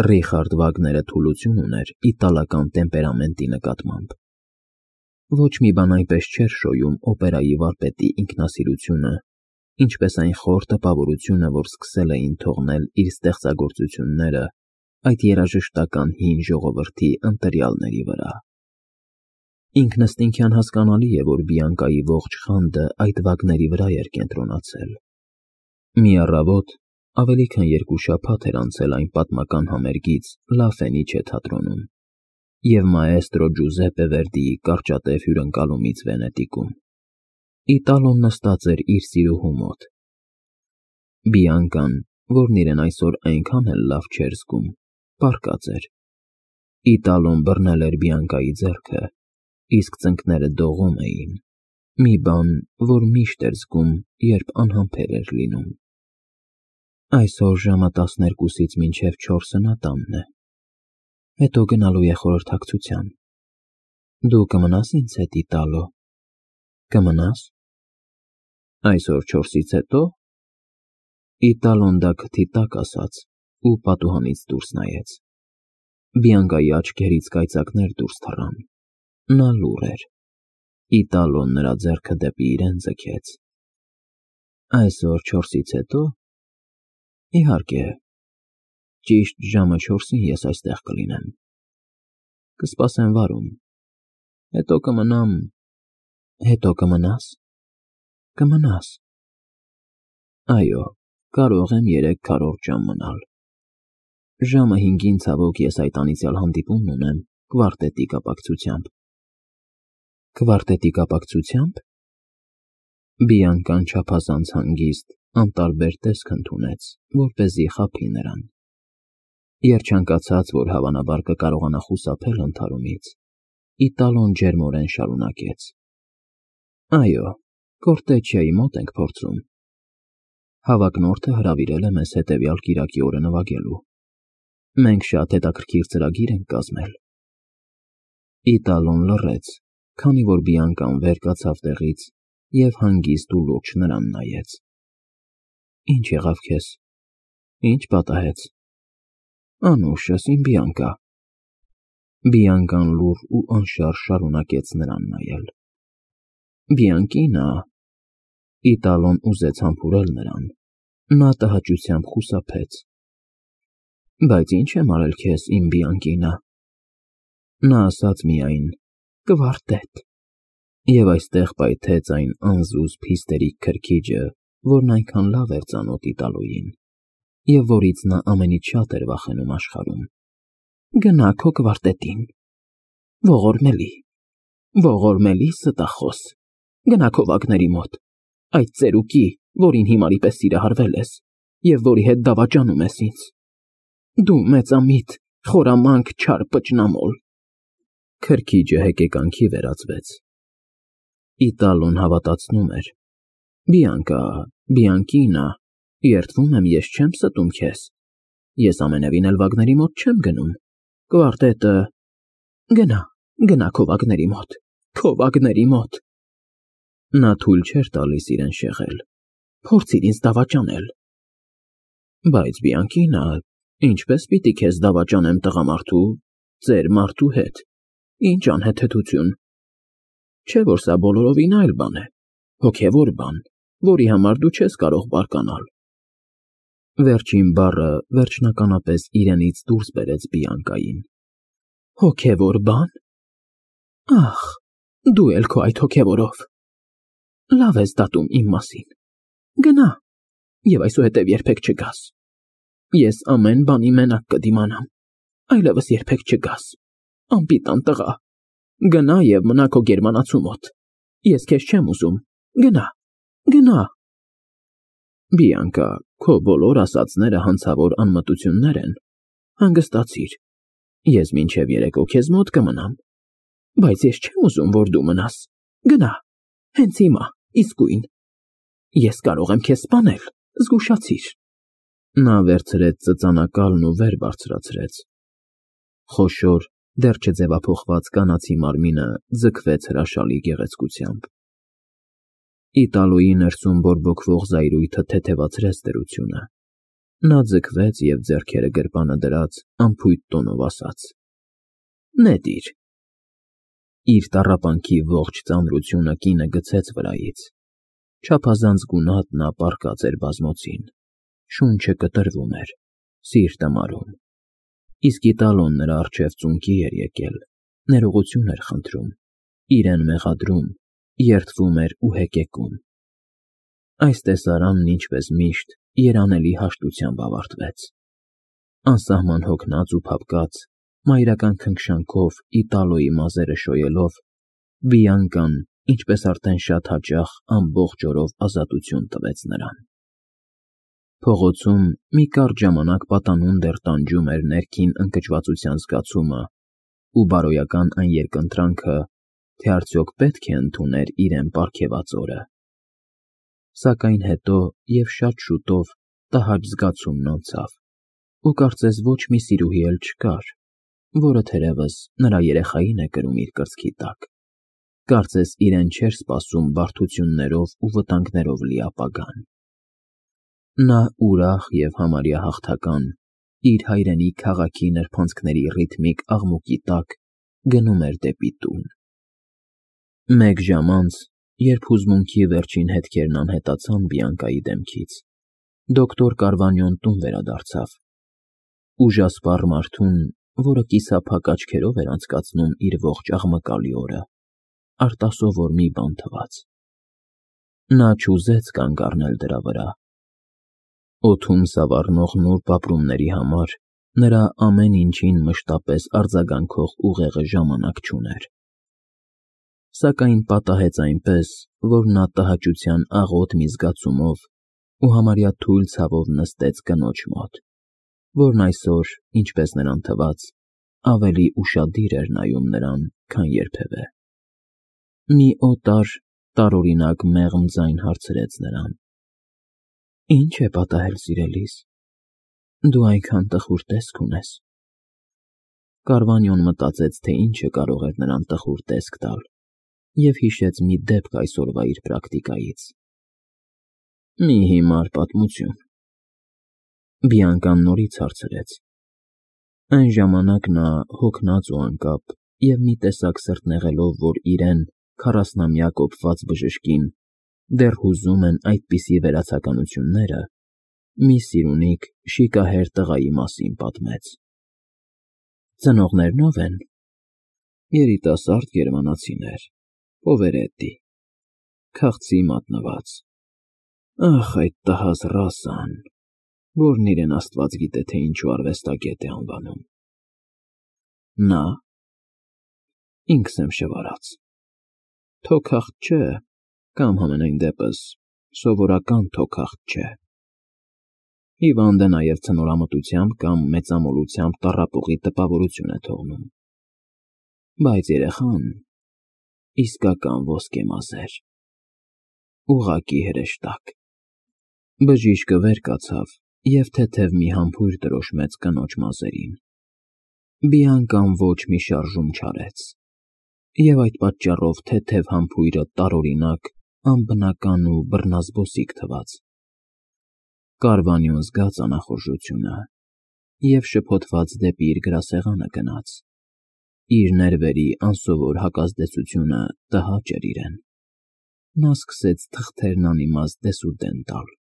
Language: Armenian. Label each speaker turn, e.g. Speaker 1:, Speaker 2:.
Speaker 1: Ռիխարդ Վագները թուլություն ուներ իտալական տեմպերամենտի նկատմամբ։ Ոչ մի բան այնպես չէր շոյում օպերայի վարպետի ինքնասիրությունը, ինչպես այն խոր տպավորությունը, որ սկսել էին թողնել իր ստեղծագործությունները այդ երաժշտական հին ժողովրդի ընտրյալների վրա։ Ինքնըստինքյան հասկանալի է, որ Բիանկայի ողջ խանդը այդ վագների վրա էր կենտրոնացել։ Մի առավոտ, ավելի քան 2 շաբաթ էր անցել այն պատմական համերգից Լա Ֆենիչե թատրոնում և մաեստրո Ջուզեպպե Վերդիի կարճատև հյուրընկալումից Վենետիկում։ Իտալոն նստած էր իր սիրուհու մոտ։ Բիանկան, որն իրեն այսօր այնքան էլ լավ չէր զգում, պառկած էր։ Իտալոն բռնել էր Բիանկայի ձեռքը, իսկ ծնկները դողում էին, մի բան, որ միշտ էր զգում, երբ անհամբեր էր լինում։ Այսօր ժամը 12-ից մինչև 4-ը նա տանն է, հետո գնալու է խորհրդակցության։ Դու կմնաս ինձ հետ, Իտալո, կմնաս։ Այսօր 4-ից հետո։ Իտալոն դա քթի տակ ասաց ու պատուհանից դուրս նայեց։ Բիանկայի աչքերից կայծակներ դուրս թռան։ Նա լուռ էր։ Իտալոն նրա ձեռքը դեպի իրեն ձգեց։ Այսօր 4-ից հետո։ Իհարկե, ճիշտ ժամը 4-ին ես այստեղ կլինեմ։ Կսպասեմ վարում։ Հետո կմնամ։ Հետո կմնաս։ Կմնաս։ Այո, կարող եմ 3/4 ժամ մնալ։ Ժամը 5-ին ցավոք ես այդ անիծյալ հանդիպումն ունեմ կվարտետի կապակցությամբ։ Կվարտետի կապակցությամբ։ Բիանկան չափազանց հանգիստ, անտարբեր տեսք ընդունեց, որպեսզի խաբի նրան։ Երջանկացած, որ հավանաբար կկարողանա խուսափել ընդհարումից, Իտալոն ջերմորեն շարունակեց. Այո, Կորտեչիայի մոտ ենք փորձում։ Հավակնորդը հրավիրել է մեզ հետևյալ կիրակի օրը նվագելու։ Մենք շատ հետաքրքիր ծրագիր ենք կազմել։ Իտալոն լռեց, քանի որ Բիանկան վեր կացավ տեղից և հանգիստ ու լուրջ նրան նայեց։ Ինչ եղավ քեզ։ Ինչ պատահեց։ Անուշս, իմ Բիանկա։ Բիանկան լուռ ու անշարժ շարունակեց նրան նայել։ Բիանկինա։ Իտալոն ուզեց համբուրել նրան։ Նա տհաճությամբ խուսափեց։ Բայց ինչ եմ արել քեզ, իմ Բիանկինա։ Նա ասաց միայն. Կվարտետ։ Եվ այստեղ պայթեց այն անզուսպ հիստերիկ քրքիջը, որն այնքան լավ էր ծանոթ Իտալոյին, և որից նա ամենից շատ էր վախենում աշխարհում։ Գնա քո կվարտետին։ Ողորմելի ստախոս։ Գնա քո վագների մոտ, այդ ծերուկի, որին հիմարի պես սիրահարվել ես, և որի հետ դավաճանում ես ինձ։ Դու մեծամիտ, խորամանկ, չար պճնամոլ։ Քրքիջը հեկեկանքի վերածվեց։ Իտալոն հավատացնում էր. Բիանկա, Բիանկինա, երդվում եմ, ես չեմ ստում քեզ։ Ես ամենևին էլ վագների մոտ չեմ գնում։ Կվարտետը… Գնա քո վագների մոտ, քո վագների մոտ։ Նա թույլ չէր տալիս իրեն շեղել։ Փորձիր ինձ դավաճանել։ Բայց Բիանկինա, ինչպես պիտի քեզ դավաճանեմ տղամարդու, ծեր մարդու հետ։ Ինչ անհեթեթություն։ Չէ՞ որ սա բոլորովին այլ բան է, հոգևոր բան, որի համար դու չես կարող բարկանալ։ Վերջին բառը վերջնականապես իրենից դուրս բերեց Բիանկային։ Հոգևոր բան։ Ախ, դու էլ քո այդ հոգևորով։ Լավ ես դատում իմ մասին։ Գնա, և այսուհետև երբեք չգաս։ Ես ամեն բանի մենակ կդիմանամ, այլևս երբեք չգաս, անպիտան տղա։ Գնա և մնա քո գերմանացու մոտ։ Ես քեզ չեմ ուզում։ Գնա։ Բիանկա, քո բոլոր ասածները հանցավոր անմտություններ են։ Հանգստացիր։ Ես մինչև երեկո քեզ մոտ կմնամ։ Բայց ես չեմ ուզում, որ դու մնաս։ Գնա, հենց հիմա, իսկույն։ Ես կարող եմ քեզ սպանել, զգուշացիր։ Նա վերցրեց ծծանակալն ու վեր բարձրացրեց։ Խոշոր, դեռ չձևափոխված կանացի մարմինը ձգվեց հրաշալի գեղեցկությամբ։ Իտալոյի ներսում բորբոքվող զայրույթը թեթևացրեց դրությունը։ Նա ձգվեց և ձեռքերը գրպանը դրած անփույթ տոնով ասաց. «Նետիր»։ Իր տառապանքի ողջ ծանրությունը կինը գցեց վրայից։ Չափազանց գունատ նա պառկած էր բազմոցին, շունչը կտրվում էր, սիրտը մարում։ Իսկ Իտալոն նրա առջև ծունկի էր եկել, ներողություն էր խնդրում, իրեն մեղադրում, երդվում էր ու հեկեկում։ Այս տեսարանն, ինչպես միշտ, երանելի հաշտությամբ ավարտվեց։ Անսահման հոգնած ու փափկած, մայրական քնքշանքով Իտալոյի մազերը շոյելով, Բիանկան, ինչպես արդեն շատ հաճախ, ամբողջ օրով ազատություն տվեց նրան։ Փողոցում մի կարճ ժամանակ պատանուն դեռ տանջում էր ներքին ընկճվածության զգացումը ու բարոյական այն երկընտրանքը, թե արդյոք պետք է ընդուներ իրեն պարգևած օրը։ Սակայն հետո և շատ շուտով տհաճ զգացումն անցավ, ու կարծես ոչ մի սիրուհի էլ չկար, որը թերևս նրա երեխային է կրում իր կրծքի տակ, կարծես իրեն չէր սպասում բարդություններով ու վտանգներով լի ապագան։ Նա ուրախ և համարյա հաղթական, իր հայրենի քաղաքի նրբանցքների ռիթմիկ աղմուկի տակ գնում էր դեպի տուն։ Մեկ ժամ անց, երբ հուզմունքի վերջին հետքերն անհետացան Բիանկայի դեմքից, դոկտոր Կարվանյոն տուն վերադարձավ։ Ուժասպառ մարդուն, որը կիսափակ աչքերով էր անցկացնում իր ողջ աղմկալի օրը, արտասովոր մի բան թվաց։ Նա չուզեց կանգ առնել դրա վրա։ Օդում սավառնող նուրբ ապրումների համար նրա ամեն ինչին մշտապես արձագանքող ուղեղը ժամանակ չուներ։ Սակայն պատահեց այնպես, որ նա տհաճության աղոտ մի զգացումով ու համարյա թույլ ցավով նստեց կնոջ մոտ, որն այսօր, ինչպես նրան թվաց, ավելի ուշադիր էր նայում նրան, քան երբևէ։ Մի օտար, տարօրինակ մեղմ ձայն հարցրեց նրան. «Ի՞նչ է պատահել, սիրելիս, դու այնքան տխուր տեսք ունես»։ Կարվանյոն մտածեց, թե ինչը կարող էր նրան տխուր տեսք տալ, և հիշեց մի դեպք այսօրվա իր պրակտիկայից։ «Մի հիմար պատմություն»։ Բիանկան նորից հարցրեց։ Այն ժամանակ նա, հոգնած ու անկապ և մի տեսակ սրտնեղելով, որ իրեն, 40-ամյա կոպված բժշկին, դեռ հուզում են այդպիսի վերացականությունները, մի սիրունիկ, շիկահեր տղայի մասին պատմեց։ Ծնողներն ո՞վ են։ Երիտասարդ գերմանացիներ, պովերետտի, քաղցի մատնված։ Ախ, այդ տհաս ռասան, որն իրեն աստված գիտե, թե ինչու արվեստագետ է անվանում։ Նա։ Ինքս եմ շվարած։ Թոքախտ չէ, կամ համենայն դեպս սովորական թոքախտ չէ։ Հիվանդ է նաև ցնորամտությամբ կամ մեծամոլությամբ տառապողի տպավորություն է թողնում։ Բայց երեխան իսկական ոսկեմազեր, ուղղակի հրեշտակ։ Բժիշկը վեր կացավ և թեթև մի համբույր տրոշմեց կնոջ մազերին։ Բիանկան ոչ մի շարժում չարեց, և այդ պատճառով թեթև համբույրը տարօրինակ, անբնական ու բռնազբոսիկ թվաց։ Կարվանյոն զգաց անախորժությունը և շփոթված դեպի իր գրասեղանը գնաց։ Իր ներվերի անսովոր հակազդեցությունը տհաճ էր իրեն։ Նա սկսեց թղթերն անիմաստ դեսուդեն տալ։